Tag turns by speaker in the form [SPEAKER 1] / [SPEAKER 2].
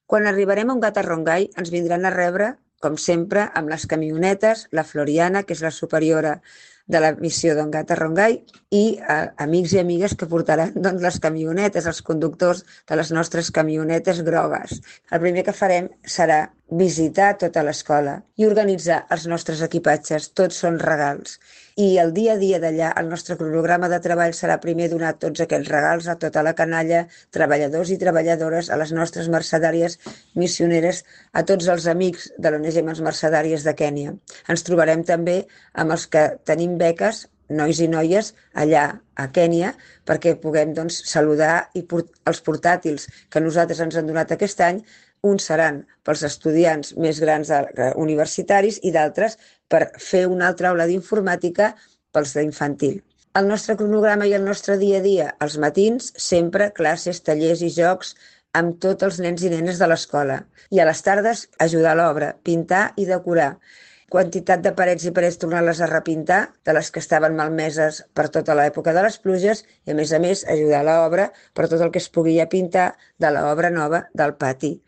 [SPEAKER 1] Quan arribarem a un Gatarrongay ens vindran a rebre, com sempre, amb les camionetes, la Floriana, que és la superiora de la missió d'en Gatarrongay, i amics i amigues que portaran doncs, les camionetes, els conductors de les nostres camionetes grogues. El primer que farem serà visitar tota l'escola i organitzar els nostres equipatges. Tots són regals. I el dia a dia d'allà, el nostre cronograma de treball serà primer donar tots aquests regals a tota la canalla, treballadors i treballadores, a les nostres mercedàries missioneres, a tots els amics de l'ONG Mans Mercedàries de Kènia. Ens trobarem també amb els que tenim beques, nois i noies, allà a Kènia, perquè puguem saludar i els portàtils que nosaltres ens han donat aquest any. Uns seran pels estudiants més grans universitaris i d'altres per fer una altra aula d'informàtica pels d'infantil. El nostre cronograma i el nostre dia a dia, als matins, sempre classes, tallers i jocs amb tots els nens i nenes de l'escola. I a les tardes, ajudar a l'obra, pintar i decorar. Quantitat de parets i parets tornar-les a repintar, de les que estaven malmeses per tota l'època de les pluges, i a més, ajudar a l'obra per tot el que es pugui pintar de l'obra nova del pati.